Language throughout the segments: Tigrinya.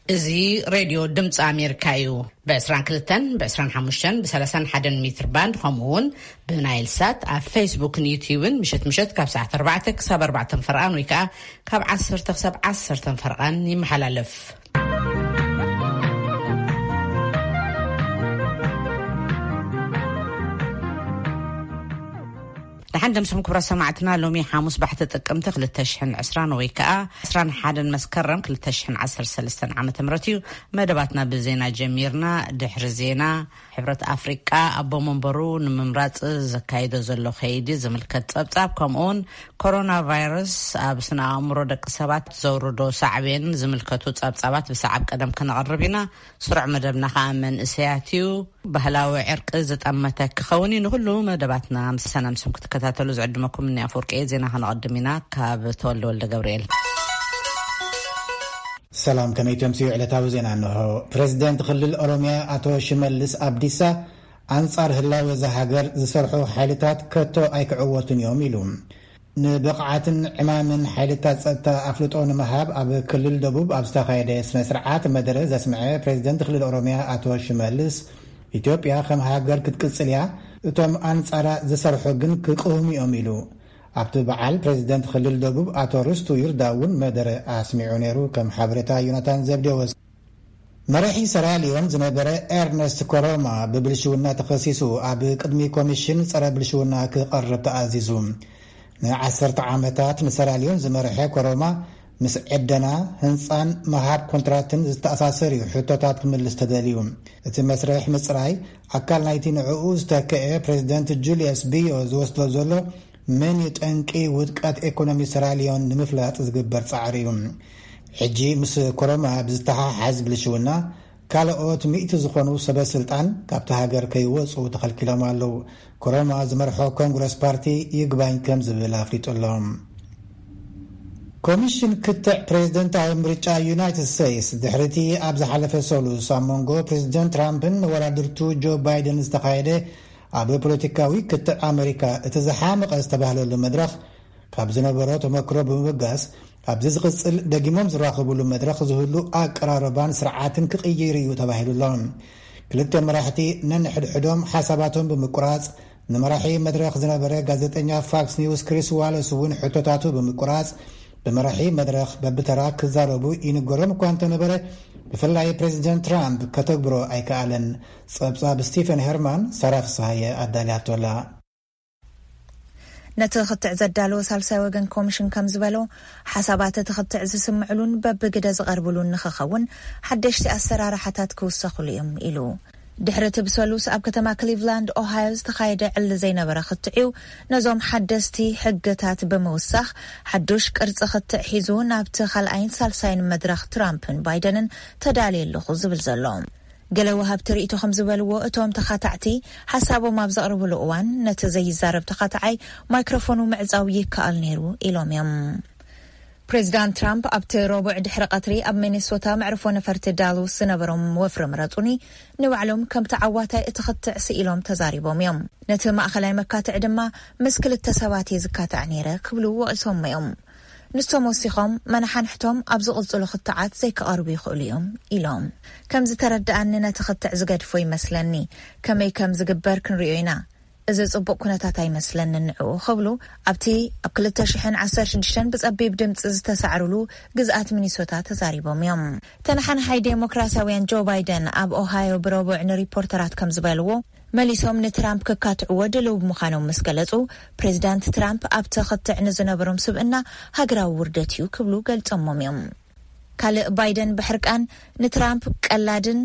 እዚ ሬድዮ ድምፂ ኣሜሪካ እዩ። ብ22፣ ብ25፣ ብ31 ሜትር ባንድ፣ ከምኡ እውን ብናይል ሳት ኣብ ፌስቡክን ዩትዩብን ምሸት ምሸት ካብ ሰዓት ኣርባዕተ ክሳብ ኣርባዕተ ፈርቓን ወይ ከዓ ካብ ዓሰርተ ክሳብ ዓሰርተ ፈርቓን ይመሓላለፍ። ደሓን ደምስኹም ክቡራት ሰማዕትና፣ ሎሚ ሓሙስ ባሕቲ ጥቅምቲ ክልተ ሽሕን ዕስራን ወይ ከዓ ዕስራን ሓደን መስከረም ክልተ ሽሕን ዓሰርተ ሰለስተን ዓመተ ምህረት እዩ። መደባትና ብዜና ጀሚርና። ድሕሪ ዜና፣ ሕብረት ኣፍሪቃ ኣቦ መንበሩ ንምምራጽ ዘካይዶ ዘሎ ከይዲ ዝምልከት ጸብጻብ፣ ከምኡውን ኮሮና ቫይረስ ኣብ ስነ ኣእምሮ ደቂ ሰባት ዘውርዶ ሳዕቤን ዝምልከቱ ጸብጻባት ብሰዓብ ቀደም ክነቕርብ ኢና። ስሩዕ መደብና ከዓ መንእሰያት እዩ። ባህላዊ ዕርቂ ዝጠመተ ክኸውን እዩ። ንኩሉ መደባትና ምስ ሰናምስም ክትከታተሉ ዝዕድመኩም እኒ ኣፈወርቂ እየ። ዜና ከነቐድም ኢና። ካብ ተወልደ ወልደ ገብርኤል። ሰላም፣ ከመይ ተምስዩ? ዕለታዊ ዜና እንሆ። ፕሬዚደንት ክልል ኦሮሚያ ኣቶ ሽመልስ ኣብዲሳ፣ ኣንጻር ህላወ እዛ ሃገር ዝሰርሑ ሓይልታት ከቶ ኣይክዕወቱን እዮም ኢሉ። ንብቕዓትን ዕማምን ሓይልታት ጸጥታ ኣፍልጦ ንምሃብ ኣብ ክልል ደቡብ ኣብ ዝተኻየደ ስነ ስርዓት መደረ ዘስምዐ ፕሬዚደንት ክልል ኦሮሚያ ኣቶ ሽመልስ፣ ኢትዮጵያ ከም ሃገር ክትቅጽል እያ፣ እቶም ኣንጻራ ዝሰርሑ ግን ክቅህሙ እዮም ኢሉ። ኣብቲ በዓል ፕሬዚደንት ክልል ደቡብ ኣቶ ርስቱ ይርዳ እውን መደረ ኣስሚዑ ነይሩ። ከም ሓበሬታ ዮናታን ዘብዴዎስ። መራሒ ሰራሊዮን ዝነበረ ኤርነስት ኮሮማ ብብልሽውና ተኸሲሱ ኣብ ቅድሚ ኮሚሽን ጸረ ብልሽውና ክቐርብ ተኣዚዙ። ንዓሰርተ ዓመታት ንሰራሊዮን ዝመርሐ ኮሮማ፣ ምስ ዕደና፣ ህንጻን ምሃብ ኮንትራትን ዝተኣሳሰር እዩ ሕቶታት ክምልስ ተደልዩ። እቲ መስርሕ ምጽራይ ኣካል ናይቲ ንዕኡ ዝተከአ ፕሬዚደንት ጁልየስ ቢዮ ዝወስዶ ዘሎ ምን ጠንቂ ውድቀት ኤኮኖሚ ሰራሊዮን ንምፍላጥ ዝግበር ጻዕሪ እዩ። ሕጂ ምስ ኮሮማ ብዝተሓሓዝ ብልሽውና፣ ካልኦት ሚእቲ ዝኾኑ ሰበ ስልጣን ካብቲ ሃገር ከይወጹ ተኸልኪሎም ኣለዉ። ኮሮማ ዝመርሖ ኮንግረስ ፓርቲ ይግባኝ ከም ዝብል ኣፍሊጡ ኣሎ። ኮሚሽን ክትዕ ፕሬዝደንታዊ ምርጫ ዩናይትድ ስቴትስ፣ ድሕሪቲ ኣብ ዝሓለፈ ሰሉስ ኣብ መንጎ ፕሬዝደንት ትራምፕን መወዳድርቱ ጆ ባይደን ዝተኻየደ ኣብ ፖለቲካዊ ክትዕ ኣመሪካ እቲ ዝሓመቐ ዝተባህለሉ መድረኽ፣ ካብ ዝነበሮ ተመክሮ ብምብጋስ፣ ኣብዚ ዝቕጽል ደጊሞም ዝራኸቡሉ መድረኽ ዝህሉ ኣቀራርባን ስርዓትን ክቕይር እዩ ተባሂሉ ኣሎ። ክልተ መራሕቲ ነንሕድሕዶም ሓሳባቶም ብምቁራጽ፣ ንመራሒ መድረኽ ዝነበረ ጋዜጠኛ ፋክስ ኒውስ ክሪስ ዋለስ እውን ሕቶታቱ ብምቁራጽ፣ ብመራሒ መድረኽ በብተራ ክዛረቡ ይንገሮም እኳ እንተነበረ፣ ብፍላይ ፕሬዚደንት ትራምፕ ከተግብሮ ኣይከኣለን። ጸብጻብ ስቲፈን ሄርማን፣ ሳራ ፍስሃየ ኣዳልያቶላ። ነቲ ክትዕ ዘዳለወ ሳልሳይ ወገን ኮሚሽን ከም ዝበሎ፣ ሓሳባት እቲ ክትዕ ዝስምዕሉን በብግደ ዝቐርብሉን ንኽኸውን ሓደሽቲ ኣሰራርሓታት ክውሰኹሉ እዮም ኢሉ። ድሕሪ እቲ ብሰሉስ ኣብ ከተማ ክሊቭላንድ ኦሃዮ ዝተኻየደ ዕሊ ዘይነበረ ክትዕ እዩ። ነዞም ሓደስቲ ሕግታት ብምውሳኽ፣ ሓዱሽ ቅርጺ ክትዕ ሒዙ ናብቲ ካልኣይን ሳልሳይን መድረኽ ትራምፕን ባይደንን ተዳልየ ኣለኹ ዝብል ዘሎ። ገለ ወሃብቲ ርእይቶ ከም ዝበልዎ፣ እቶም ተኻታዕቲ ሓሳቦም ኣብ ዘቕርብሉ እዋን፣ ነቲ ዘይዛረብ ተኻታዓይ ማይክሮፎኑ ምዕጻው ይከኣል ነይሩ ኢሎም እዮም። ፕሬዚዳንት ትራምፕ ኣብቲ ረቡዕ ድሕሪ ቀትሪ ኣብ ሚኒሶታ መዕርፎ ነፈርቲ ዳሎስ ዝነበሮም ወፍሪ ምረጹኒ ንባዕሎም ከም ተዓዋታይ እቲ ክትዕ ስኢሎም ተዛሪቦም እዮም። ነቲ ማእኸላይ መካትዒ ድማ ምስ ክልተ ሰባት እየ ዝካታዕ ነይረ ክብሉ ወቒሶሞ እዮም። ንሶም ወሲኾም፣ መናሓንሕቶም ኣብ ዝቕጽሉ ክትዓት ዘይክቐርቡ ይኽእሉ እዮም ኢሎም። ከም ዝተረድኣኒ ነቲ ክትዕ ዝገድፎ ይመስለኒ። ከመይ ከም ዝግበር ክንሪኦ ኢና። እዚ ጽቡቕ ኩነታት ኣይመስለንን ንዕኡ ክብሉ ኣብቲ ኣብ ክልተ ሽሕን ዓሰርተ ሽዱሽተን ብጸቢብ ድምጺ ዝተሳዕርሉ ግዝኣት ሚኒሶታ ተዛሪቦም እዮም። ተነሓናሓይ ዴሞክራሲያውያን ጆ ባይደን ኣብ ኦሃዮ ብረቡዕ ንሪፖርተራት ከም ዝበልዎ፣ መሊሶም ንትራምፕ ክካትዕዎ ድልው ብምዃኖም ምስ ገለጹ፣ ፕሬዚዳንት ትራምፕ ኣብቲ ክትዕ ንዝነበሮም ስብእና ሃገራዊ ውርደት እዩ ክብሉ ገልጾሞም እዮም። ካልእ ባይደን ብሕርቃን ንትራምፕ ቀላድን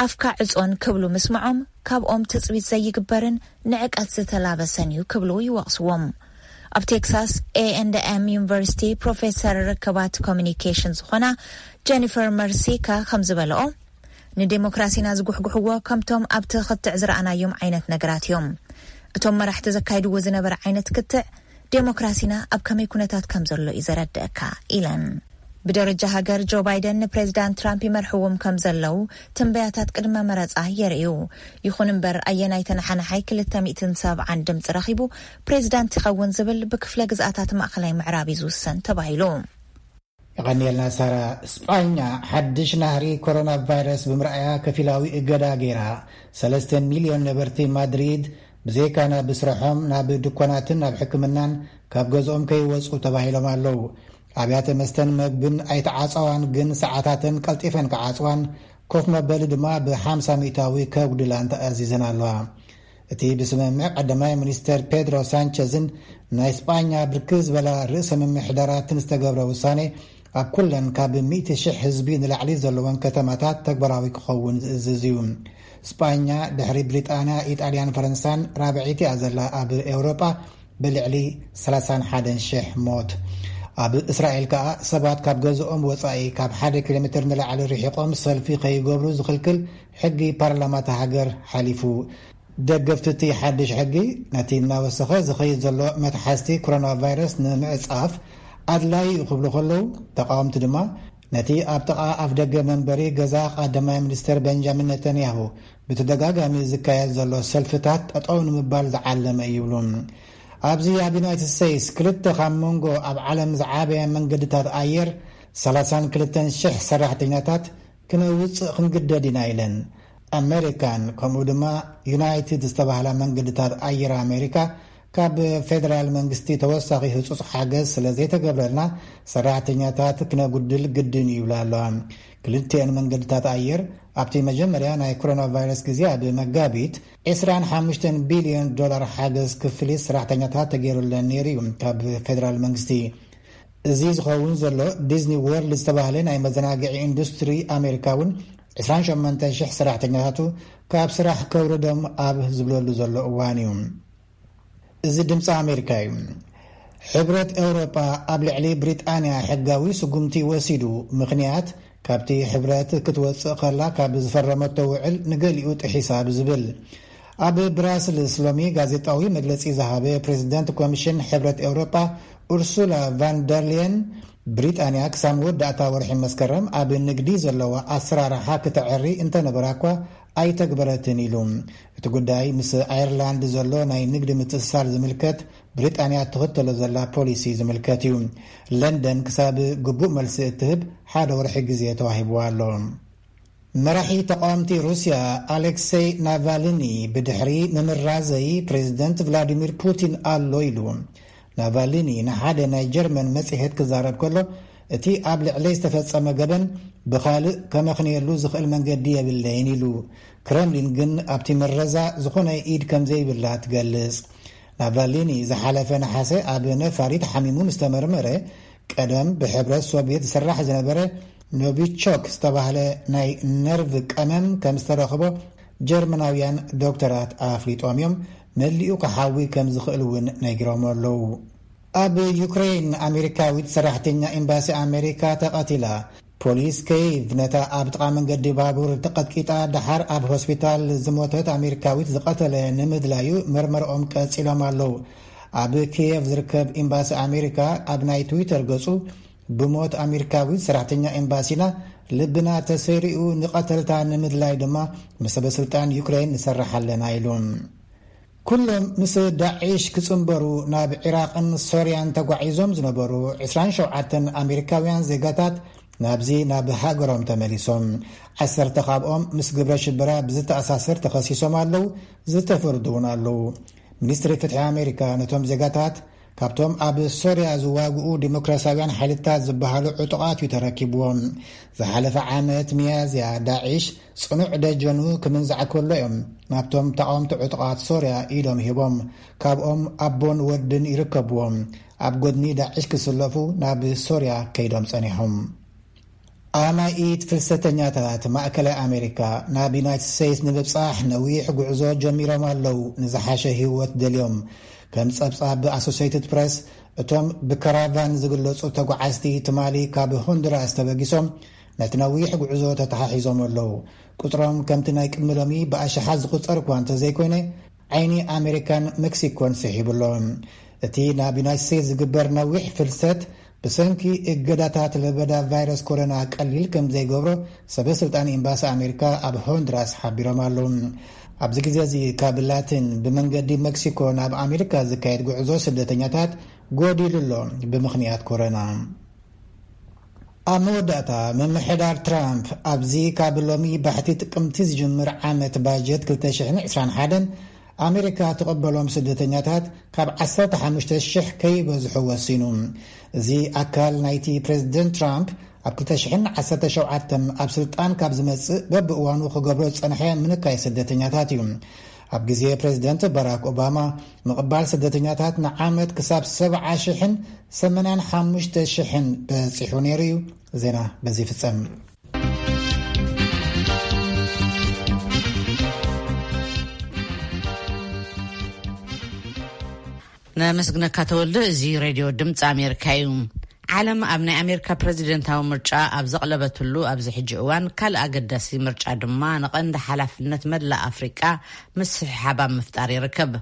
ኣፍካ ዕጾን ክብሉ ምስምዖም ካብኦም ትጽቢት ዘይግበርን ንዕቀት ዝተላበሰን እዩ ክብሉ ይወቕስዎም። ኣብ ቴክሳስ ኤ ኤንድ ኤም ዩኒቨርሲቲ ፕሮፌሰር ርክባት ኮሚኒኬሽን ዝኾና ጀኒፈር መርሲካ ከም ዝበለኦ፣ ንዴሞክራሲና ዝጉሕጉሕዎ ከምቶም ኣብቲ ክትዕ ዝረኣናዮም ዓይነት ነገራት እዮም። እቶም መራሕቲ ዘካይድዎ ዝነበረ ዓይነት ክትዕ ዴሞክራሲና ኣብ ከመይ ኩነታት ከም ዘሎ እዩ ዘረድአካ ኢለን። ብደረጃ ሃገር ጆ ባይደን ንፕሬዚዳንት ትራምፕ ይመርሕዎም ከም ዘለዉ ትንበያታት ቅድመ መረጻ የርእዩ። ይኹን እምበር ኣየናይ ተነሓናሓይ ክልተ ሚእትን ሰብዓን ድምፂ ረኺቡ ፕሬዚዳንት ይኸውን ዝብል ብክፍለ ግዝኣታት ማእኸላይ ምዕራብ እዩ ዝውሰን ተባሂሉ። የቐንየልና ሳራ። ስጳኛ ሓድሽ ናህሪ ኮሮና ቫይረስ ብምርኣያ ከፊላዊ እገዳ ገይራ። ሰለስተ ሚልዮን ነበርቲ ማድሪድ ብዘይካ ናብ ስራሖም፣ ናብ ድኳናትን ናብ ሕክምናን ካብ ገዝኦም ከይወጹ ተባሂሎም ኣለዉ። ኣብያተ መስተን መግብን ኣይተዓጸዋን፣ ግን ሰዓታተን ቀልጢፈን ክዓጽዋን ኮፍ መበሊ ድማ ብ50% ከጉድላን ተኣዚዘን ኣለዋ። እቲ ብስምምዕ ቀዳማይ ሚኒስተር ፔድሮ ሳንቸዝን ናይ ስጳኛ ብርክት ዝበላ ርእሰ ምምሕዳራትን ዝተገብረ ውሳኔ ኣብ ኩለን ካብ ሚእቲ ሽሕ ህዝቢ ንላዕሊ ዘለወን ከተማታት ተግባራዊ ክኸውን ዝእዝዝ እዩ። ስጳኛ ድሕሪ ብሪጣንያ፣ ኢጣልያን ፈረንሳን ራብዐይቲ እያ ዘላ ኣብ ኤውሮጳ ብልዕሊ ሰላሳን ሓደን ሽሕ ሞት። ኣብ እስራኤል ከኣ ሰባት ካብ ገዝኦም ወጻኢ ካብ ሓደ ኪሎ ሜትር ንላዕሊ ርሒቖም ሰልፊ ከይገብሩ ዝኽልክል ሕጊ ፓርላማ እታ ሃገር ሓሊፉ። ደገፍቲ እቲ ሓድሽ ሕጊ፣ ነቲ እናወሰኸ ዝኸይድ ዘሎ መትሓዝቲ ኮሮና ቫይረስ ንምዕጻፍ ኣድላዪ እዩ ክብሉ ከለዉ፣ ተቃወምቲ ድማ ነቲ ኣብ ጥቓ ኣፍ ደገ መንበሪ ገዛ ቀዳማይ ሚኒስተር ቤንጃሚን ነተንያሁ ብተደጋጋሚ ዝካየድ ዘሎ ሰልፍታት ጠጠው ንምባል ዝዓለመ እዩ ይብሉ። ኣብዚ ኣብ ዩናይትድ ስቴትስ ክልተ ካብ መንጎ ኣብ ዓለም ዝዓበየ መንገድታት ኣየር ሰላሳን ክልተን ሽሕ ሰራሕተኛታት ክነውጽእ ክንግደድ ኢና ኢለን። ኣሜሪካን ከምኡ ድማ ዩናይትድ ዝተባህላ መንገድታት ኣየር ኣሜሪካ ካብ ፌደራል መንግስቲ ተወሳኺ ህጹጽ ሓገዝ ስለ ዘይተገብረልና ሰራሕተኛታት ክነጉድል ግድን እዩ ይብላ ኣለዋ። ክልቲኤን መንገድታት ኣየር ኣብቲ መጀመርያ ናይ ኮሮና ቫይረስ ግዜ ኣብ መጋቢት ዕስራን ሓሙሽተን ቢልዮን ዶላር ሓገዝ ክፍሊት ሰራሕተኛታት ተገይሩለን ነይሩ እዩ ካብ ፌደራል መንግስቲ። እዚ ዝኸውን ዘሎ ዲዝኒ ወርልድ ዝተባህለ ናይ መዘናግዒ ኢንዱስትሪ ኣሜሪካ እውን ዕስራን ሸሞንተን ሽሕ ሰራሕተኛታቱ ካብ ስራሕ ከውርዶም ኣብ ዝብለሉ ዘሎ እዋን እዩ። እዚ ድምፂ ኣሜሪካ እዩ። ሕብረት ኤውሮጳ ኣብ ልዕሊ ብሪጣንያ ሕጋዊ ስጉምቲ ወሲዱ፣ ምኽንያት ካብቲ ሕብረት ክትወፅእ ከላ ካብ ዝፈረመቶ ውዕል ንገሊኡ ጥሒሳ ብዝብል። ኣብ ብራስልስ ሎሚ ጋዜጣዊ መግለፂ ዝሃበ ፕሬዚደንት ኮሚሽን ሕብረት ኤውሮጳ ኡርሱላ ቫንደርልየን፣ ብሪጣንያ ክሳብ መወዳእታ ወርሒ መስከረም ኣብ ንግዲ ዘለዋ ኣሰራርሓ ክተዕሪ እንተነበራ እኳ ኣይተግበረትን ኢሉ። እቲ ጉዳይ ምስ ኣየርላንድ ዘሎ ናይ ንግዲ ምትእስሳር ዝምልከት ብሪጣንያ እትኽተሎ ዘላ ፖሊሲ ዝምልከት እዩ። ለንደን ክሳብ ግቡእ መልሲ እትህብ ሓደ ወርሒ ግዜ ተዋሂብዋ ኣሎ። መራሒ ተቃወምቲ ሩስያ ኣሌክሴይ ናቫልኒ ብድሕሪ ምምራዘይ ፕሬዚደንት ቭላዲሚር ፑቲን ኣሎ ኢሉ። ናቫልኒ ንሓደ ናይ ጀርመን መጽሔት ክዛረብ ከሎ፣ እቲ ኣብ ልዕለይ ዝተፈጸመ ገበን ብኻልእ ከመኽንየሉ ዝኽእል መንገዲ የብለይን ኢሉ። ክረምሊን ግን ኣብቲ ምረዛ ዝኾነ ኢድ ከም ዘይብላ ትገልጽ። ናቫልኒ ዝሓለፈ ነሓሰ ኣብ ነፋሪት ሓሚሙ ምስ ተመርመረ፣ ቀደም ብሕብረት ሶቪየት ዝስራሕ ዝነበረ ኖቪቾክ ዝተባህለ ናይ ነርቭ ቀመም ከም ዝተረኽቦ ጀርመናውያን ዶክተራት ኣፍሊጦም እዮም። መሊኡ ክሓዊ ከም ዝኽእል እውን ነጊሮም ኣለዉ። ኣብ ዩክሬን ኣሜሪካዊት ሰራሕተኛ ኤምባሲ ኣሜሪካ ተቐቲላ። ፖሊስ ኬይቭ ነታ ኣብ ጥቓ መንገዲ ባቡር ተቐጥቂጣ ደሓር ኣብ ሆስፒታል ዝሞተት ኣሜሪካዊት ዝቐተለ ንምድላዩ መርመርኦም ቀጺሎም ኣለዉ። ኣብ ኪየቭ ዝርከብ ኤምባሲ ኣሜሪካ ኣብ ናይ ትዊተር ገጹ፣ "ብሞት ኣሜሪካዊት ሰራሕተኛ ኤምባሲና ልብና ተሰሪኡ፣ ንቐተልታ ንምድላይ ድማ ምስ ሰበ ስልጣን ዩክሬን ንሰርሕ ኣለና" ኢሉ። ኩሎም ምስ ዳዒሽ ክጽንበሩ ናብ ዒራቕን ሶርያን ተጓዒዞም ዝነበሩ ዕስራን ሸውዓተን ኣሜሪካውያን ዜጋታት ናብዚ ናብ ሃገሮም ተመሊሶም። ዓሰርተ ካብኦም ምስ ግብረ ሽበራ ብዝተኣሳሰር ተኸሲሶም ኣለዉ፣ ዝተፈርዱ እውን ኣለዉ። ሚኒስትሪ ፍትሒ ኣሜሪካ ነቶም ዜጋታት ካብቶም ኣብ ሶርያ ዝዋግኡ ዲሞክራሲያውያን ሓይልታት ዝበሃሉ ዕጡቓት እዩ ተረኪብዎም። ዝሓለፈ ዓመት ሚያዝያ ዳዒሽ ጽኑዕ ደጀኑ ክምንዛዕ ከሎ እዮም ናብቶም ተቓወምቲ ዕጡቓት ሶርያ ኢዶም ሂቦም። ካብኦም ኣቦን ወድን ይርከብዎም። ኣብ ጎድኒ ዳዒሽ ክስለፉ ናብ ሶርያ ከይዶም ጸኒሖም። ኣማኢት ፍልሰተኛታት ማእከላይ ኣሜሪካ ናብ ዩናይትድ ስቴትስ ንምብጻሕ ነዊሕ ጉዕዞ ጀሚሮም ኣለዉ፣ ንዝሓሸ ህይወት ደልዮም። ከም ጸብጻብ ኣሶሴይትድ ፕረስ፣ እቶም ብካራቫን ዝግለጹ ተጓዓዝቲ ትማሊ ካብ ሆንዱራስ ተበጊሶም ነቲ ነዊሕ ጉዕዞ ተተሓሒዞም ኣለዉ። ቁጽሮም ከምቲ ናይ ቅድሚ ሎሚ ብኣሽሓት ዝቑጸር እኳ እንተዘይኮይነ፣ ዓይኒ ኣሜሪካን ሜክሲኮን ስሒቡ ኣሎ። እቲ ናብ ዩናይትድ ስቴትስ ዝግበር ነዊሕ ፍልሰት ብሰንኪ እገዳታት ለበዳ ቫይረስ ኮሮና ቀሊል ከም ዘይገብሮ ሰበ ስልጣን ኤምባሲ ኣሜሪካ ኣብ ሆንዱራስ ሓቢሮም ኣለዉ። ኣብዚ ግዜ እዚ ካብ ላቲን ብመንገዲ ሜክሲኮ ናብ ኣሜሪካ ዝካየድ ጉዕዞ ስደተኛታት ጎዲሉ ኣሎ ብምኽንያት ኮሮና። ኣብ መወዳእታ፣ ምምሕዳር ትራምፕ ኣብዚ ካብ ሎሚ ባሕቲ ጥቅምቲ ዝጅምር ዓመት ባጀት ክልተ ሽሕን ዕስራን ሓደን ኣሜሪካ ትቐበሎም ስደተኛታት ካብ ዓሰርተ ሓሙሽተ ሽሕ ከይበዝሑ ወሲኑ። እዚ ኣካል ናይቲ ፕሬዚደንት ትራምፕ ኣብ ክልተ ሽሕን ዓሰርተ ሸውዓተን ኣብ ስልጣን ካብ ዝመጽእ በብእዋኑ ክገብሮ ዝጸንሐ ምንካይ ስደተኛታት እዩ። ኣብ ግዜ ፕሬዚደንት ባራክ ኦባማ፣ ምቕባል ስደተኛታት ንዓመት ክሳብ ሰብዓ ሽሕን ሰማንያን ሓሙሽተ ሽሕን በጺሑ ነይሩ እዩ። ዜና በዚ ይፍጸም። ነመስግነካ ተወልደ። እዚ ሬድዮ ድምፂ ኣሜሪካ እዩ። ዓለም ኣብ ናይ ኣሜሪካ ፕሬዚደንታዊ ምርጫ ኣብ ዘቕለበትሉ ኣብዚ ሕጂ እዋን፣ ካልእ ኣገዳሲ ምርጫ ድማ ንቐንዲ ሓላፍነት መላእ ኣፍሪቃ ምስሕሓብ ኣብ ምፍጣር ይርከብ።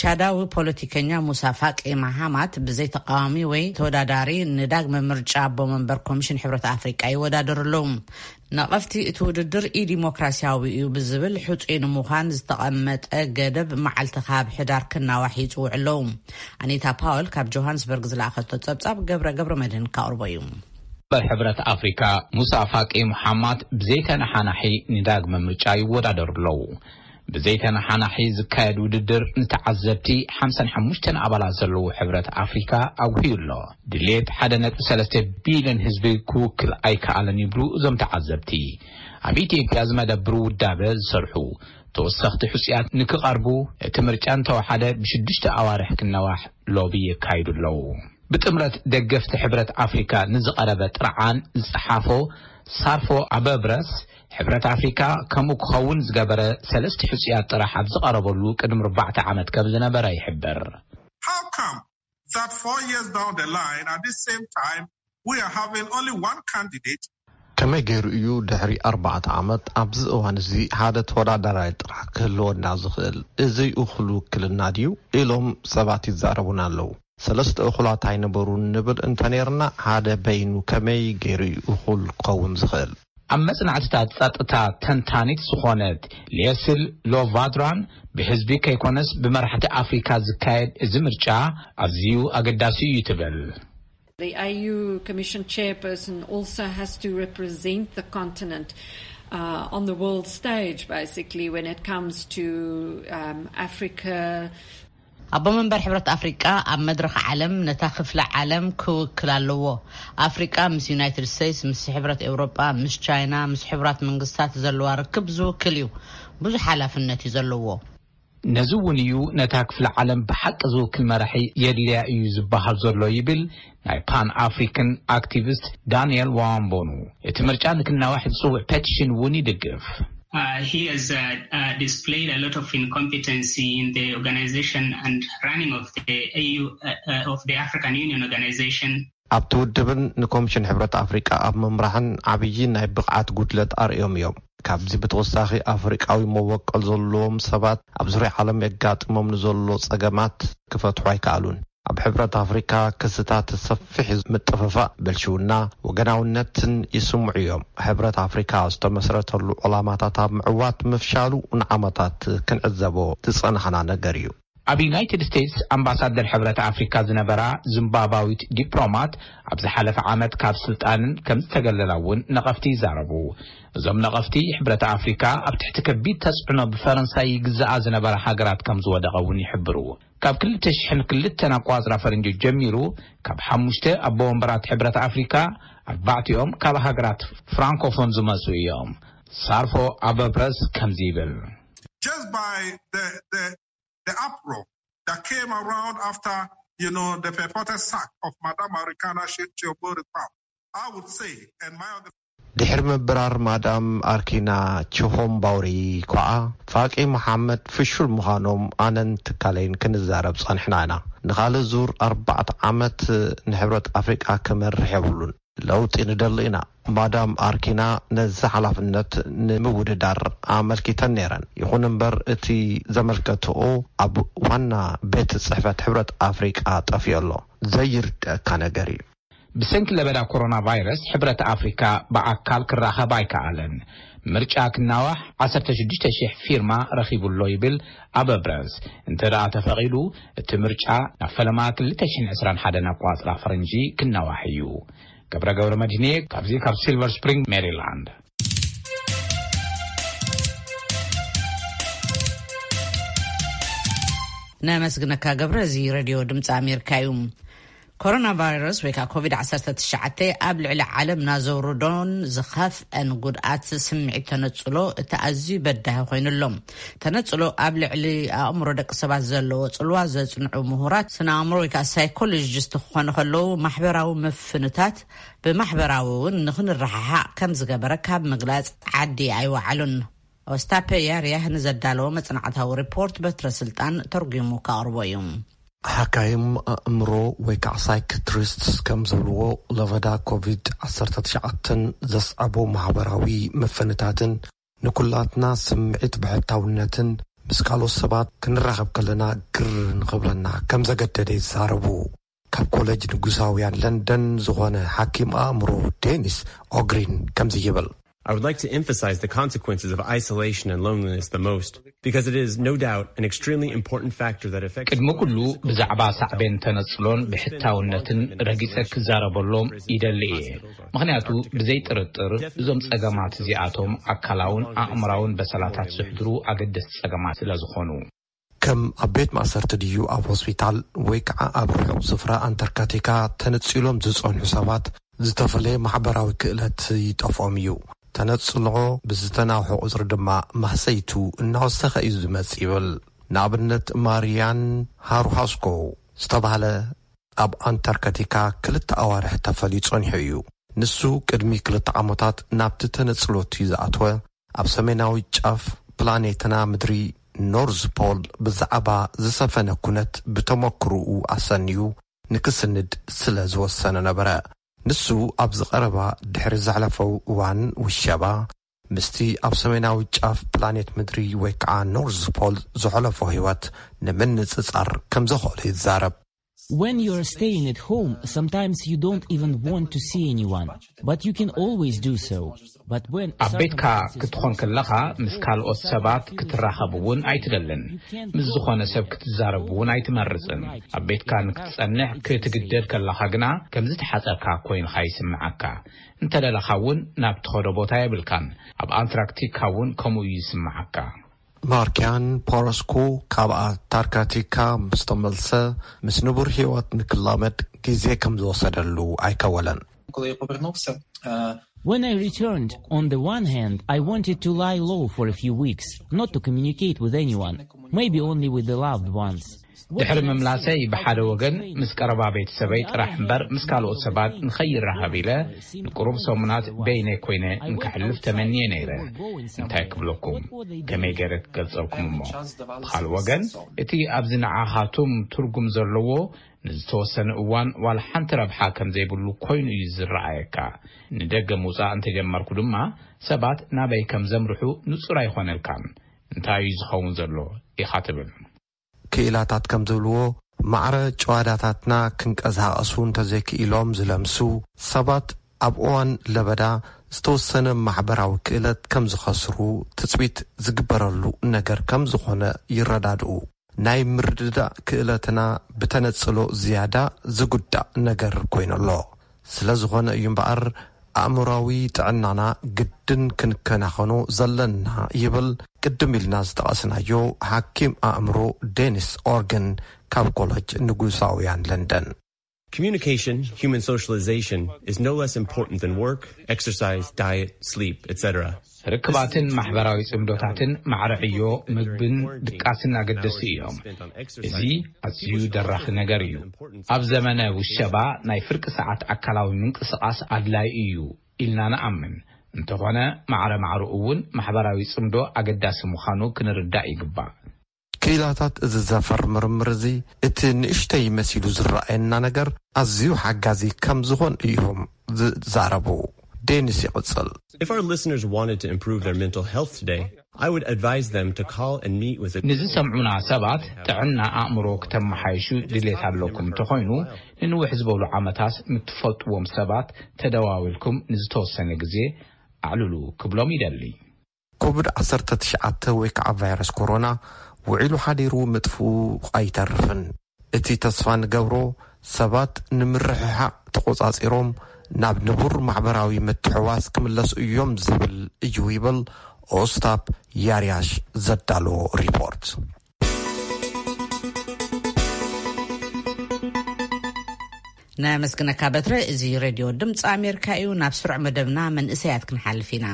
ቻዳዊ ፖለቲከኛ ሙሳ ፋቂ ማሃማት ብዘይ ተቃዋሚ ወይ ተወዳዳሪ ንዳግመ ምርጫ ኣቦ መንበር ኮሚሽን ሕብረት ኣፍሪቃ ይወዳደሩ ኣለዉ። ነቐፍቲ እቲ ውድድር ኢዲሞክራሲያዊ እዩ ብዝብል፣ ሕጹይ ንምዃን ዝተቐመጠ ገደብ መዓልቲ ካብ ሕዳር ክናዋሕ ይጽውዑ ኣለዉ። ኣኒታ ፓወል ካብ ጆሃንስበርግ ዝለኣኸቶ ጸብጻብ ገብረ ገብረ መድህን ካቕርቦ እዩ። በር ሕብረት ኣፍሪካ ሙሳ ፋቂ ሙሓማድ ብዘይተነሓናሒ ንዳግመ ምርጫ ይወዳደሩ ኣለዉ። ብዘይተነሓናሒ ዝካየድ ውድድር ንተዓዘብቲ ሓምሳን ሓሙሽተን ኣባላት ዘለዎ ሕብረት ኣፍሪካ ኣጉህዩ ኣሎ። ድሌት ሓደ ነጥቢ ሰለስተ ቢልዮን ህዝቢ ክውክል ኣይከኣለን ይብሉ እዞም ተዓዘብቲ። ኣብ ኢትዮጵያ ዝመደብሩ ውዳበ ዝሰርሑ ተወሰኽቲ ሕፁያት ንክቐርቡ እቲ ምርጫ እንተወሓደ ብሽዱሽተ ኣዋርሕ ክነዋሕ ሎቢ የካይዱ ኣለዉ። ብጥምረት ደገፍቲ ሕብረት ኣፍሪካ ንዝቐረበ ጥርዓን ዝፀሓፎ ሳርፎ ኣበብረስ፣ ሕብረት ኣፍሪካ ከምኡ ክኸውን ዝገበረ ሰለስተ ሕፁያት ጥራሕ ኣብ ዝቐረበሉ ቅድሚ ኣርባዕተ ዓመት ከም ዝነበረ ይሕብር። How come that four years down the line, at this same time, we are having only one candidate? ከመይ ገይሩ እዩ ድሕሪ ኣርባዕተ ዓመት ኣብዚ እዋን እዚ ሓደ ተወዳዳራይ ጥራሕ ክህልወና ዝኽእል? እዚ እኹል ውክልና ድዩ? ኢሎም ሰባት ይዛረቡና ኣለዉ። ሰለስተ እኹላት ኣይነበሩን ንብል እንተነይርና፣ ሓደ በይኑ ከመይ ገይሩ እዩ እኹል ክኸውን ዝኽእል? ኣብ መጽናዕትታት ጸጥታ ተንታኒት ዝኾነት ሌስል ሎቫድራን፣ ብህዝቢ ከይኮነስ ብመራሕቲ ኣፍሪካ ዝካየድ እዚ ምርጫ ኣዝዩ ኣገዳሲ እዩ ትብል። The A U Commission chairperson also has to represent the continent uh, on the world stage, basically, when it comes to um, Africa. ኣቦ መንበር ሕብረት ኣፍሪቃ ኣብ መድረኽ ዓለም ነታ ክፍለ ዓለም ክውክል ኣለዎ። ኣፍሪቃ ምስ ዩናይትድ ስቴትስ፣ ምስ ሕብረት ኤውሮጳ፣ ምስ ቻይና፣ ምስ ሕቡራት መንግስታት ዘለዋ ርክብ ዝውክል እዩ። ብዙሕ ሓላፍነት እዩ ዘለዎ። ነዚ እውን እዩ ነታ ክፍለ ዓለም ብሓቂ ዝውክል መራሒ የድልያ እዩ ዝበሃል ዘሎ ይብል ናይ ፓን ኣፍሪካን ኣክቲቪስት ዳንኤል ዋምቦኑ። እቲ ምርጫ ንክናዋሕ ዝፅውዕ ፔቲሽን እውን ይድግፍ። Uh, he has uh, uh, displayed a lot of incompetency in the organization and running of the A U, uh, uh, of the African Union organization. ኣብቲ ውድብን ንኮሚሽን ሕብረት ኣፍሪቃ ኣብ ምምራሕን ዓብዪ ናይ ብቕዓት ጉድለት ኣርእዮም እዮም። ካብዚ ብተወሳኺ ኣፍሪቃዊ መበቆል ዘለዎም ሰባት ኣብ ዙርያ ዓለም የጋጥሞም ንዘሎ ጸገማት ክፈትሑ ኣይከኣሉን። ኣብ ሕብረት ኣፍሪካ ክስታት ሰፊሕ ምጥፍፋእ፣ ብልሽውና፣ ወገናውነትን ይስምዑ እዮም። ሕብረት ኣፍሪካ ዝተመስረተሉ ዕላማታት ኣብ ምዕዋት ምፍሻሉ ንዓመታት ክንዕዘቦ ዝጸናሕና ነገር እዩ። ኣብ ዩናይትድ ስቴትስ ኣምባሳደር ሕብረት ኣፍሪካ ዝነበራ ዚምባብዋዊት ዲፕሎማት ኣብ ዝሓለፈ ዓመት ካብ ስልጣነን ከም ዝተገለላ እውን ነቐፍቲ ይዛረቡ። እዞም ነቐፍቲ ሕብረት ኣፍሪካ ኣብ ትሕቲ ከቢድ ተፅዕኖ ብፈረንሳይ ይግዝኣ ዝነበራ ሃገራት ከም ዝወደቐ እውን ይሕብሩ። ካብ ክልተ ሽሕን ክልተን ኣቋፅራ ፈረንጂ ጀሚሩ ካብ ሓሙሽተ ኣቦ ወንበራት ሕብረት ኣፍሪካ ኣርባዕቲኦም ካብ ሃገራት ፍራንኮፎን ዝመፁ እዮም። ሳርፎ ኣበብረስ ከምዚ ይብል። Just by the, the, the uproar that came around after, you know, the purported sack of Madame Arikana Shirchio Boripam, I would say, and my other ድሕሪ ምብራር ማዳም ኣርኪና ችሆምባውሪ ኳዓ፣ ፋቂ መሓመድ ፍሹል ምዃኖም ኣነን ትካለይን ክንዛረብ ጸኒሕና ኢና። ንኻልእ ዙር ኣርባዕተ ዓመት ንሕብረት ኣፍሪቃ ክመርሕ የብሉን። ለውጢ ንደሊ ኢና። ማዳም ኣርኪና ነዚ ሓላፍነት ንምውድዳር ኣመልኪተን ነይረን። ይኹን እምበር እቲ ዘመልከትኦ ኣብ ዋና ቤት ጽሕፈት ሕብረት ኣፍሪቃ ጠፊኡ ኣሎ። ዘይርድኣካ ነገር እዩ። ብሰንኪ ለበዳ ኮሮና ቫይረስ ሕብረት ኣፍሪካ ብኣካል ክራኸብ ኣይከኣለን። ምርጫ ክናዋሕ ዓሰርተ ሽዱሽተ ሽሕ ፊርማ ረኺቡ ኣሎ ይብል ኣበብረስ። እንተ ደኣ ተፈቒዱ እቲ ምርጫ ናብ ፈለማ ክልተ ሽሕን ዕስራን ሓደን ኣቋፅራ ፈረንጂ ክናዋሕ እዩ። ገብረ ገብረ መድህንየ ካብዚ ካብ ሲልቨር ስፕሪንግ ሜሪላንድ። ነመስግነካ ገብረ። እዚ ሬድዮ ድምፂ ኣሜሪካ እዩ። ኮሮና ቫይረስ ወይ ከዓ ኮቪድ ዓሰርተ ትሽዓተ ኣብ ልዕሊ ዓለምና ዘውርዶን ዝኸፍአን ጉድኣት ስምዒት ተነፅሎ እቲ ኣዝዩ በዳሂ ኮይኑሎም። ተነፅሎ ኣብ ልዕሊ ኣእምሮ ደቂ ሰባት ዘለዎ ፅልዋ ዘፅንዑ ምሁራት ስነ ኣእምሮ ወይ ከዓ ሳይኮሎጂስት ክኾኑ ከለዉ ማሕበራዊ ምፍንታት ብማሕበራዊ እውን ንክንረሓሓቕ ከም ዝገበረ ካብ ምግላፅ ዓዲ ኣይወዓሉን። ኦስታፔ ያርያህ ንዘዳለዎ መጽናዕታዊ ሪፖርት በትረ ስልጣን ተርጒሙ ከቕርቦ እዩ። ሓካይም ኣእምሮ ወይ ከዓ ሳይክትሪስትስ ከም ዝብልዎ ለበዳ ኮቪድ ዓሰርተ ትሽዓተ ዘስዓቦ ማሕበራዊ መፈንታትን ንኩላትና ስምዒት ብሕታውነትን ምስ ካልኦት ሰባት ክንራኸብ ከለና ግር ንኽብለና ከም ዘገደደ ይዛረቡ። ካብ ኮሌጅ ንጉሳውያን ለንደን ዝኾነ ሓኪም ኣእምሮ ዴኒስ ኦግሪን ከምዚ ይብል። I would like to emphasize the consequences of isolation and loneliness the most, because it is no doubt an extremely important factor that affects. ቅድሚ ኩሉ ብዛዕባ ሳዕቤን ተነጽሎን ብሕታውነትን ረጊጸ ክዛረበሎም ይደሊ እየ። ምኽንያቱ ብዘይ ጥርጥር እዞም ጸገማት እዚኣቶም ኣካላውን ኣእምራውን በሰላታት ዝሕድሩ ኣገደስቲ ጸገማት ስለ ዝኾኑ። ከም ኣብ ቤት ማእሰርቲ ድዩ ኣብ ሆስፒታል ወይ ከዓ ኣብ ርሑቕ ስፍራ ኣንታርክቲካ ተነጺሎም ዝጸንሑ ሰባት ዝተፈለየ ማሕበራዊ ክእለት ይጠፍኦም እዩ። ተነጽሎ ብዝተናውሐ ቁጽሪ ድማ ማህሰይቱ እናወሰኸ እዩ ዝመጽእ ይብል። ንኣብነት ማርያን ሃሩሃስኮ ዝተባህለ ኣብ ኣንታርክቲካ ክልተ ኣዋርሕ ተፈልዩ ጸኒሑ እዩ። ንሱ ቅድሚ ክልተ ዓመታት ናብቲ ተነጽሎት እዩ ዝኣተወ። ኣብ ሰሜናዊ ጫፍ ፕላኔትና ምድሪ ኖርዝ ፖል ብዛዕባ ዝሰፈነ ኩነት ብተመክርኡ ኣሰንዩ ንክስንድ ስለ ዝወሰነ ነበረ። ንሱ ኣብዚ ቀረባ ድሕሪ ዘሕለፈው እዋን ውሸባ ምስቲ ኣብ ሰሜናዊ ጫፍ ፕላኔት ምድሪ ወይ ከዓ ኖርዝ ፖል ዘሕለፎ ህይወት ንምንጽጻር ከም ዘኽእሎ ይዛረብ። When you're staying at home, sometimes you don't even want to see anyone, but you can always do so. But when ኣብ ቤትካ ክትኾን ከለኻ ምስ ካልኦት ሰባት ክትራኸብ እውን ኣይትደልን። ምስ ዝኾነ ሰብ ክትዛረብ እውን ኣይትመርጽን። ኣብ ቤትካ ንክትጸንሕ ክትግደድ ከለኻ ግና ከም ዝተሓጸርካ ኮይንኻ ይስምዓካ። እንተደለኻ እውን ናብ ትኸዶ ቦታ የብልካን። ኣብ ኣንታርክቲካ እውን ከምኡ እዩ ይስምዓካ። ማርኪያን ፖሮስኩ ካብ ኣንታርክቲካ ምስ ተመልሰ ምስ ንቡር ህይወት ንክላመድ ግዜ ከም ዝወሰደሉ ኣይከወለን። When I returned, on the one hand, I wanted to lie low for a few weeks, not to communicate with anyone, maybe only with the loved ones. ድሕሪ ምምላሰይ ብሓደ ወገን ምስ ቀረባ ቤተሰበይ ጥራሕ እምበር ምስ ካልኦት ሰባት ንኸይራኸብ ኢለ ንቁሩብ ሰሙናት በይነይ ኮይነ እንክሕልፍ ተመንየ ነይረ። እንታይ ክብለኩም፣ ከመይ ገይረ ክገልጸልኩም እሞ? ብኻልእ ወገን እቲ ኣብዚ ንዓኻቱም ትርጉም ዘለዎ ንዝተወሰነ እዋን ዋላ ሓንቲ ረብሓ ከም ዘይብሉ ኮይኑ እዩ ዝረኣየካ። ንደገ ምውጻእ እንተጀመርኩ ድማ ሰባት ናበይ ከም ዘምርሑ ንጹር ኣይኾነልካን። እንታይ እዩ ዝኸውን ዘሎ ኢኻ ትብል። ክኢላታት ከም ዝብልዎ ማዕረ ጭዋዳታትና ክንቀሳቐሱ እንተዘይክኢሎም ዝለምሱ ሰባት ኣብ እዋን ለበዳ ዝተወሰነ ማሕበራዊ ክእለት ከም ዝኸስሩ ትጽቢት ዝግበረሉ ነገር ከም ዝኾነ ይረዳድኡ። ናይ ምርድዳእ ክእለትና ብተነጽሎ ዝያዳ ዝጉዳእ ነገር ኮይኑ ኣሎ። ስለ ዝኾነ እዩ እምበኣር ኣእምሮዊ ጥዕናና ግድን ክንከናኸኖ ዘለና ይብል ቅድም ኢልና ዝጠቐስናዮ ሓኪም ኣእምሮ ዴኒስ ኦርግን ካብ ኮለጅ ንጉሳውያን ለንደን። Communication, human socialization, is no less important than work, exercise, diet, sleep, et cetera. ርክባትን ማሕበራዊ ጽምዶታትን ማዕረ ዕዮ ምግብን ድቃስን ኣገደስቲ እዮም። እዚ ኣዝዩ ደራኺ ነገር እዩ። ኣብ ዘመነ ውሸባ ናይ ፍርቂ ሰዓት ኣካላዊ ምንቅስቓስ ኣድላይ እዩ ኢልና ንኣምን። እንተኾነ ማዕረ ማዕረኡ እውን ማሕበራዊ ጽምዶ ኣገዳሲ ምዃኑ ክንርዳእ ይግባእ። ክኢላታት እዚ ዘፈር ምርምር እዚ እቲ ንእሽተይ መሲሉ ዝረኣየና ነገር ኣዝዩ ሓጋዚ ከም ዝኾን እዮም ዝዛረቡ። ዴኒስ ይቕጽል። If our listeners wanted to improve their mental health today, I would advise them to call and meet with a ንዝሰምዑና ሰባት ጥዕና ኣእምሮ ክተመሓይሹ ድሌት ኣለኩም እንተኾይኑ ንንውሕ ዝበሉ ዓመታት ምትፈልጥዎም ሰባት ተደዋዊልኩም ንዝተወሰነ ግዜ ኣዕልሉ ክብሎም ይደሊ። ኮቪድ ዓሰርተ ትሽዓተ ወይ ከዓ ቫይረስ ኮሮና ውዒሉ ሓዲሩ ምጥፍኡ ኣይተርፍን። እቲ ተስፋ ንገብሮ ሰባት ንምርሕሓቕ ተቖጻጺሮም ናብ ንቡር ማሕበራዊ ምትሕዋስ ክምለሱ እዮም ዝብል እዩ ይብል ኦስታፕ ያርያሽ ዘዳለዎ ሪፖርት። ናይ መስግነካ በትረ። እዚ ሬድዮ ድምፂ ኣሜሪካ እዩ። ናብ ስሩዕ መደብና መንእሰያት ክንሓልፍ ኢና።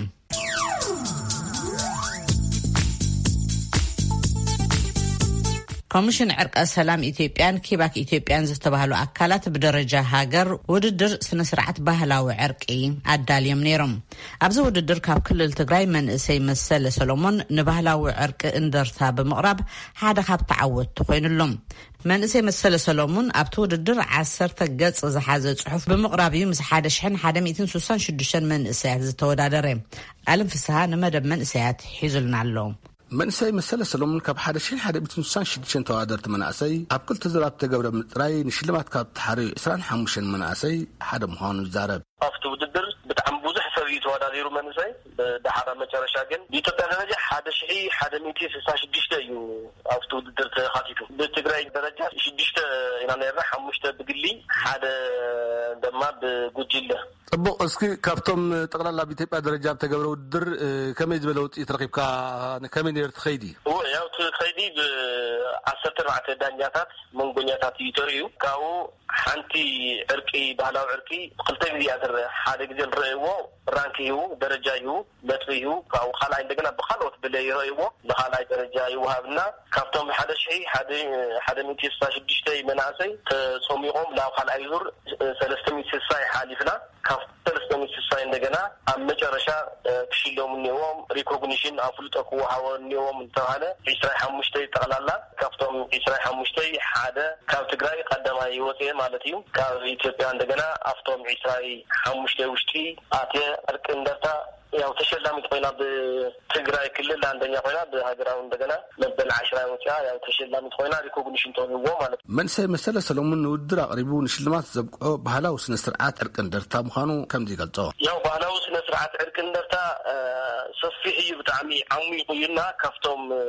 ኮሚሽን ዕርቀ ሰላም ኢትዮጵያን ኪባክ ኢትዮጵያን ዝተባህሉ ኣካላት ብደረጃ ሃገር ውድድር ስነ ስርዓት ባህላዊ ዕርቂ ኣዳልዮም ነይሮም። ኣብዚ ውድድር ካብ ክልል ትግራይ መንእሰይ መሰለ ሰሎሞን ንባህላዊ ዕርቂ እንደርታ ብምቕራብ ሓደ ካብ ተዓወትቲ ኮይኑሎም። መንእሰይ መሰለ ሰሎሙን ኣብቲ ውድድር ዓሰርተ ገጽ ዝሓዘ ጽሑፍ ብምቕራብ እዩ ምስ ሓደ ሽሕን ሓደ ሚእትን ስሳን ሽዱሽተን መንእሰያት ዝተወዳደረ። ኣለም ፍስሃ ንመደብ መንእሰያት ሒዙልና ኣሎ። መንእሰይ መሰለ ሰሎሙን ካብ ሓደ ሽሕን ሓደ ሚእትን ስሳን ሽዱሽተን ተወዳደርቲ መናእሰይ ኣብ ክልተ ዙራት ዝተገብረ ምጥራይ ንሽልማት ካብ ተሓርዩ ዕስራን ሓሙሽተን መናእሰይ ሓደ ምዃኑ ይዛረብ። ኣብቲ ውድድር ብጣዕሚ ብዙሕ ሰብ እዩ ተወዳዲሩ መንእሰይ። ብደሓራ መጨረሻ ግን ብኢትዮጵያ ደረጃ ሓደ ሽሕ ሓደ ሚእቲ ስሳ ሽዱሽተ እዩ ኣብቲ ውድድር ተኻቲቱ። ብትግራይ ደረጃ ሽዱሽተ ኢና ነርና፣ ሓሙሽተ ብግሊ፣ ሓደ ድማ ብጉጅለ። ጽቡቕ። እስኪ ካብቶም ጠቕላላ ኣብ ኢትዮጵያ ደረጃ ብተገብረ ውድድር፣ እ፣ ከመይ ዝበለ ውጽኢት ረኺብካ? ከመይ ነይሩ እቲ ኸይዲ? እወ፣ ያው እቲ ኸይዲ ብ-ዓሰርተ ኣርባዕተ ዳኛታት፣ መንጎኛታት እዩ ተርእዩ። ካብኡ ሓንቲ ዕርቂ፣ ባህላዊ ዕርቂ ክልተ ግዜ እያ ትረአ። ሓደ ግዜ ንረእይዎ ራንክ ይህቡ፣ ደረጃ ይህቡ፣ ነጥቢ ይህቡ። ካብኡ ካልኣይ እንደገና ብኻልኦት ብለ ይረእይዎ፣ ንኻልኣይ ደረጃ ይወሃብና። ካብቶም ሓደ ሽሕ ሓደ፣ ሓደ ሚእቲ ስሳ ሽዱሽተ መናእሰይ ተጾሚቖም ናብ ካልኣይ ዙር ሰለስተ ሚእቲ ስሳ ይሓሊፍና። ካብ ሰለስተ ሚእቲ ስሳ እንደገና ኣብ መጨረሻ፣ እ፣ ክሽለሙ እኒኦዎም። ሪኮግኒሽን ኣፍልጦ ክወሃቦ እኒኦዎም እንተባለ ዒስራይ ሓሙሽተይ ጠቕላላ። ካብቶም ዒስራይ ሓሙሽተይ ሓደ ካብ ትግራይ ቀዳማይ ወፅኤ ማለት እዩ። ካብ ኢትዮጵያ እንደገና ኣብቶም ዒስራይ ሓሙሽተይ ውሽጢ ኣትየ። ዕርቂ እንደርታ ያው ተሸላሚት ኮይና ብትግራይ ክልል አንደኛ ኮይና ብሃገራዊ እንደገና መበል ዓሽራ ወፅያ ያው ተሸላሚት ኮይና ሪኮግኒሽን ተውህቦ ማለት እዩ። መንእሰይ መሰለ ሰሎሙን ንውድድር ኣቕሪቡ ንሽልማት ዘብቅዖ ባህላዊ ስነ ስርዓት ዕርቂ እንደርታ ምዃኑ ከምዚ ይገልጾ። ያው ባህላዊ ስነ ስርዓት ዕርቂ እንደርታ፣ እ፣ ሰፊሕ እዩ፣ ብጣዕሚ ዓሚቑ እዩና ካብቶም፣ እ፣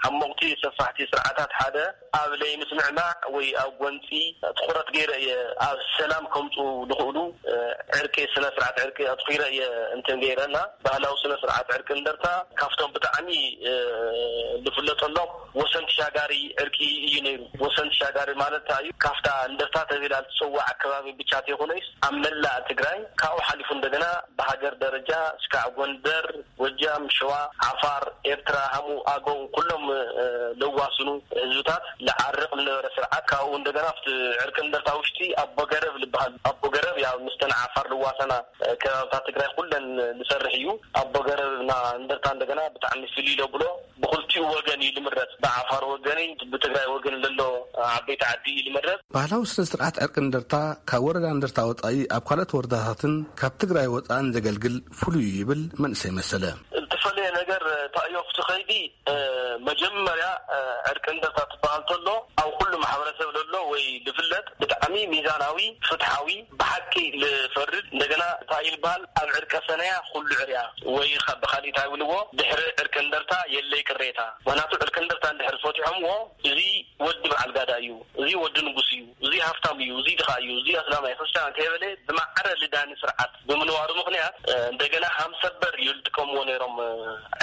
ዓሞቕቲ ሰፋሕቲ ስርዓታት ሓደ ኣብ ለይምስምዕማዕ ወይ ኣብ ጎንፂ ትኹረት ገይረ እየ ኣብ ሰላም ከምፁ ዝኽእሉ፣ እ፣ ዕርቂ፣ ስነ ስርዓት ዕርቂ ኣትኹረ እየ እንትን ገይረና። ባህላዊ ስነ ስርዓት ዕርቂ እንደርታ ካብቶም ብጣዕሚ፣ እ፣ ዝፍለጠሎም ወሰን ተሻጋሪ ዕርቂ እዩ ነይሩ። ወሰን ተሻጋሪ ማለት እንታይ እዩ? ካብታ እንደርታ ተባሂላ እትፅዋዕ ኣከባቢ ብቻ ዘይኮነይስ ኣብ መላእ ትግራይ ካብኡ ሓሊፉ እንደገና ብሃገር ደረጃ እስካዕ ጎንደር፣ ጎጃም፣ ሸዋ፣ ዓፋር፣ ኤርትራ፣ ሃሙ፣ ኣገው ኩሎም፣ እ፣ ለዋስኑ ህዝብታት ለዓርቕ ዝነበረ ስርዓት ካብኡ እንደገና ኣብቲ ዕርቂ እንደርታ ውሽጢ ኣቦ ገረብ ዝበሃል ኣቦ ገረብ ያው ምስተን ዓፋር ልዋሰና፣ እ፣ ከባብታት ትግራይ ኩለን ዝሰርሕ እዩ። ኣቦ ገረብ እና እንደርታ እንደገና ብጣዕሚ ፍልይ ለብሎ ብኽልቲኡ ወገን እዩ ልምረጽ። ብዓፋር ወገን እዩ፣ ብትግራይ ወገን ለሎ ዓበይቲ ዓዲ እዩ ልምረጽ። ባህላዊ ስነ ስርዓት ዕርቂ እንደርታ ካብ ወረዳ እንደርታ ወጻኢ ኣብ ካልኦት ወረዳታትን ካብ ትግራይ ወጻእን ዘገልግል ፍሉይ እዩ ይብል መንእሰይ መሰለ። ዝተፈለየ ነገር፣ እ፣ እንታይ እዩ ኣብቲ ኸይዲ፣ እ፣ መጀመርያ፣ እ፣ ዕርቂ እንደርታ ትበሃል ተሎ ኣብ ኩሉ ማሕበረሰብ ለሎ ወይ ልፍለጥ ብጣዕሚ ሚዛናዊ፣ ፍትሓዊ፣ ብሓቂ ልፈርድ፣ እንደገና እንታይ ይልበሃል፣ ኣብ ዕርቀ ሰነያ ኩሉ ዕርያ ወይ ኸ-፣ ብኻሊእ እንታይ ይብልዎ፣ ድሕሪ ዕርቂ እንደርታ የለይ ቅሬታ። ምኽንያቱ ዕርቂ እንደርታ እንድሕር ፈቲሖምዎ፣ እዚ ወዲ በዓል ጋዳ እዩ፣ እዚ ወዲ ንጉስ እዩ፣ እዚ ሃፍታም እዩ፣ እዚ ድኻ እዩ፣ እዚ ኣስላማይ ክርስትያን ከይበለ ብማዕረ ልዳኒ ስርዓት ብምንባሩ ምኽንያት፣ እ፣ እንደገና ሃምሰበር እዩ ዝጥቀምዎ ነይሮም። እ፣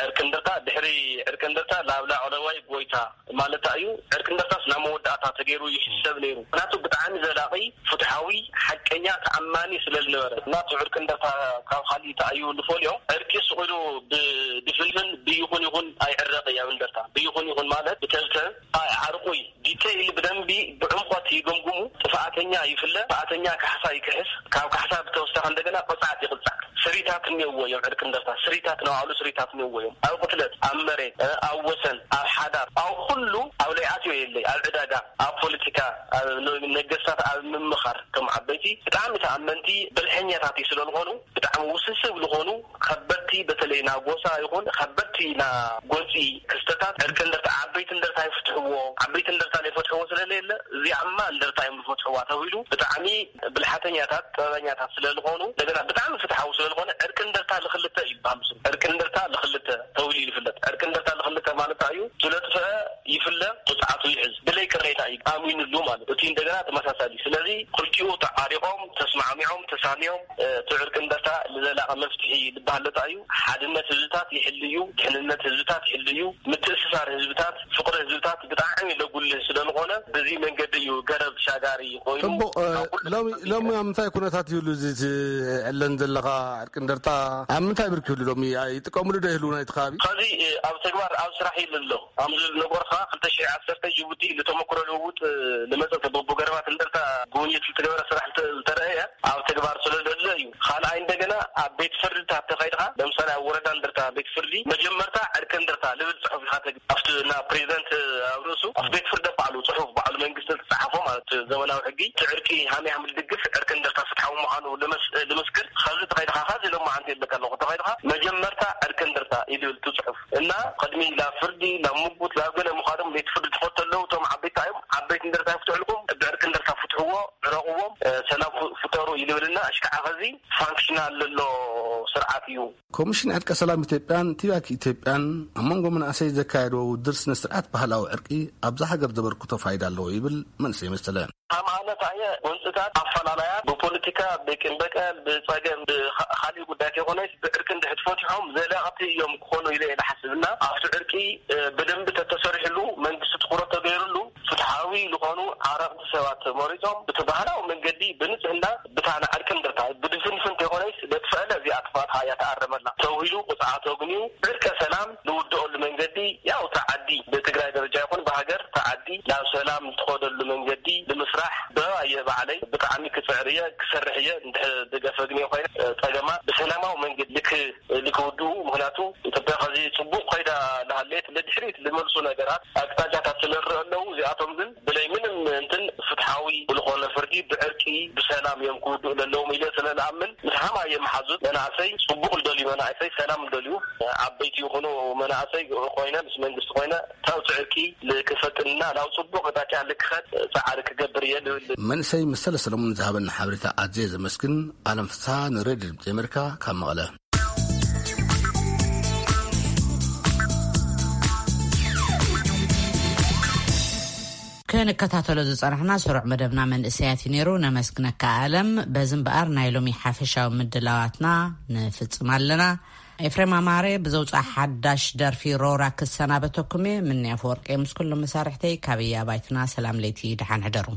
ዕርቂ እንደርታ፣ ድሕሪ ዕርቂ እንደርታ ላብ ላዕለዋይ ጎይታ ማለታ እዩ። ዕርቂ እንደርታስ ናብ መወዳእታ ተገይሩ ይሕሰብ ነይሩ። ምኽንያቱ ብጣዕሚ ዘላቒ፣ ፍትሓዊ፣ ሓቀኛ፣ ተኣማኒ ስለ ዝነበረ። ምኽንያቱ ዕርቂ እንደርታ ካብ ካሊእ ተኣዩ ንፈልዮ። ዕርቂ ስቕ ኢሉ ብድፍንፍን ብይኹን ይኹን ኣይዕረቕ እዩ ኣብ እንደርታ። ብይኹን ይኹን ማለት ብተብተብ ኣይ ዓርቑይ ዲቴይል ብደንቢ ብዕምቆት ይግምግሙ። ጥፍኣተኛ ይፍለ፣ ጥፍኣተኛ ካሕሳ ይክሕስ፣ ካብ ካሕሳ ብተወሳኺ እንደገና ቅፅዓት ይቕፃዕ። ስሪታት እኒኦዎ እዮም። ዕርቂ እንደርታ ስሪታት፣ ንባዕሉ ስሪታት እኒኦዎ እዮም። ኣብ ቅትለት፣ ኣብ መሬት፣ እ፣ ኣብ ወሰን፣ ኣብ ሓዳር፣ ኣብ ኩሉ፣ ኣብ ለይኣትዮ የለይ፣ ኣብ ዕዳጋ፣ ኣብ ፖለቲካ፣ ኣብ ነ-፣ ነገስታት ኣብ ምምኻር፣ እቶም ዓበይቲ ብጣዕሚ ተኣመንቲ ብልሐኛታት እዩ ስለ ዝኾኑ፣ ብጣዕሚ ውስብስብ ዝኾኑ ከበድቲ፣ በተለይ ና ጎሳ ይኹን ከበድቲ ና ጎንፂ ክስተታት ዕርቂ እንደርታ፣ ዓበይቲ እንደርታ ይፍትሕዎ። ዓበይቲ እንደርታ ዘይፈትሕዎ ስለለየለ እዚኣማ እንደርታ እዮም ዝፈትሕዋ ተባሂሉ ብጣዕሚ ብልሓተኛታት፣ ጥበበኛታት ስለ ዝኾኑ፣ እንደገና ብጣዕሚ ፍትሓዊ ስለ ዝኾነ ዕርቂ እንደርታ ልኽልተ ይበሃል። ምስ ዕርቂ እንደርታ ልኽልተ ተባሂሉ ይፍለጥ። ዕርቂ እንደርታ ክልተ ማለት እዩ። ስለጥፍአ ይፍለ፣ ቅፅዓቱ ይሕዝ። ብለይ ቅሬታ እዩ ኣሚኑሉ ማለት። እቲ እንደገና ተመሳሳሊ። ስለዚ ክልቲኡ ተዓሪቆም፣ ተስማዕሚዖም፣ ተሳሚዮም፣ እ፣ እቲ ዕርቂ እንደርታ ንዘላቂ መፍትሒ ዝበሃል ለታ እዩ። ሓድነት ህዝብታት ይሕል እዩ፣ ድሕንነት ህዝብታት ይሕል እዩ፣ ምትእስሳር ህዝብታት፣ ፍቅሪ ህዝብታት ብጣዕሚ ለጉልህ ስለዝኾነ፣ በዚ መንገዲ እዩ ገረብ ሻጋሪ ኮይኑ። ጽቡቕ፣ እ፣ ኣብ ኩሉ ሎሚ፣ ሎሚ ኣብ ምንታይ ኩነታት ይህሉ እዚ ትዕለን ዘለኻ ዕርቂ እንደርታ? ኣብ ምንታይ ብርኪ ይህሉ ሎሚ? ይጥቀምሉ ዶ ይህልው ናይቲ ከባቢ? ኸዚ፣ እ፣ ኣብ ተግባር ኣብ ስራሕ ይህሉ ኣሎ። ኣምዚ ዝነበርካ ክልተ ሽሕ ዓሰርተ ጅቡቲ ንተመክሮ ልውውጥ ንመጸ ተበቦ ገረባት እንደርታ ጉብኝት ዝተገበረ ስራሕ እንተ-፣ ዝተረእየ ኣብ ተግባር ስለ ዘሎ እዩ። ካልኣይ እንደገና ኣብ ቤት ፍርድታት ተኸይድካ፣ ለምሳሌ ኣብ ወረዳ እንደርታ ቤት ፍርዲ መጀመርታ ዕርቂ እንደርታ ልብል ጽሑፍ ኢኻ ተግ-፣ ኣብቲ እና ፕሬዚደንት ኣብ ርእሱ ኣብ ቤት ፍርዲ ባዕሉ ጽሑፍ ባዕሉ መንግስቲ ዝተጻሓፎ ማለት ዘመናዊ ሕጊ እቲ ዕርቂ ሃመይ ሃም ልድግፍ ዕርቂ እንደርታ ፍትሓዊ ምዃኑ ልመስ-፣ ልምስክር ኸዚ ተኸይድካ ኸዚ ሎማዓንቲ የለካ ኣለኹ ተኸይድካ መጀመርታ ዕርቂ እንደርታ ይልብል እቲ ጽሑፍ። እና ቅድሚ ላብ ፍርዲ፣ ላብ ምጉት፣ ላብ ገለ ምዃዶም ቤት ፍርዲ ትኸቱ ኣለዉ። እቶም ዓበይቲ እዮም። ዓበይቲ እንደርታ ይፍትሕልኩም፣ ብዕርቂ እንደርታ ፍትሕዎ፣ ዕረቕዎም፣ እ፣ ሰላም ፍ-፣ ፍጠሩ ይልብልና። እሽካዓ ኸዚ ፋንክሽናል ዘሎ ስርዓት እዩ። ኮሚሽን ዕርቀ ሰላም ኢትዮጵያን ቲባክ ኢትዮጵያን ኣብ መንጎ መናእሰይ ዘካየድዎ ውድድር ስነ ስርዓት ባህላዊ ዕርቂ ኣብዛ ሃገር ዘበርክቶ ፋይዳ ኣለዎ ይብል መንእሰይ መሰለ። ሃይማኖት ኣየ ጎንፅታት ኣፈላላያት ብፖለቲካ፣ ብቂም በቀል፣ ብፀገም፣ ብካ-፣ ካሊእ ጉዳይ ከይኮነስ ብዕርቂ እንድሕር ፈቲሖም ዘላቕቲ እዮም ክኾኑ ኢለ እየ ዝሓስብ እና ኣብቲ ዕርቂ፣ እ፣ ብደንቢ ተተሰሪሕሉ መንግስቲ ትኩረት ተገይሩሉ ፍትሓዊ ዝኾኑ ዓረቕቲ ሰባት ተመሪፆም እቲ ባህላዊ መንገዲ ብንፅህና ብታና ዕርቂ እንድርታ ብድፍንፍን ከይኮነስ ደጥፈአለ እዚኣ ጥፋት ሃያ ተኣረመላ ተውሂሉ ቁፅዓ ተግንዩ ዕርቀ ሰላም ንውድኦሉ መንገዲ ያው ተዓዲ ብትግራይ ደረጃ ይኹን ብሃገር ተዓዲ ናብ ሰላም ትኸደሉ መንገዲ ንምስራሕ ብኣየ ባዕለይ ብጣዕሚ ክፅዕር እየ ክሰርሕ እየ። እንድሕር ደገፈ ግን እየ ኮይነ ፀገማት ብሰላማዊ መንገዲ ልክ ልክውድኡ ምክንያቱ ኢትዮጵያ ከዚ ፅቡቅ ኮይዳ እናሃለየት ንድሕሪት ዝመልሱ ነገራት ኣቅጣጫታት ስለንርኢ ኣለዉ። እዚኣቶም ግን ብለይ ምንም እንትን ፍትሓዊ ብዝኾነ ፍርዲ ብዕርቂ ብሰላም እዮም ክውድኡ ዘለዎም ኢለ ስለ ዝኣምን ምስ ሃማየ መሓዙት መናእሰይ ፅቡቅ ልደልዩ መናእሰይ ሰላም ልደልዩ ዓበይቲ ይኹኑ መናእሰይ ኮይነ ምስ መንግስቲ ኮይነ ታውቲ ዕርቂ ልክፈጥንና ናብ ፅቡቅ ኣቅጣጫ ልክኸድ ፃዕሪ ክገብር እየ ልብል። መንእሰይ መሰለ ሰለሙን ዝሃበና ሓበሬታ ኣዝየ ዘመስግን። ኣለም ፍስሃ ንሬድዮ ድምፂ ኣሜሪካ ካብ መቐለ። ክንከታተሎ ዝጸናሕና ስሩዕ መደብና መንእሰያት እዩ ነይሩ። ነመስግነካ ኣለም። በዚ እምበኣር ናይ ሎሚ ሓፈሻዊ ምድላዋትና ንፍጽም ኣለና። ኤፍሬም ኣማረ ብዘውፅኣ ሓዳሽ ደርፊ ሮራ ክሰናበተኩም እየ። ምንያ ኣፈወርቂ ምስ ኩሎም መሳርሕተይ ካብ እያ ባይትና ሰላም ለይቲ ደሓን ሕደሩ።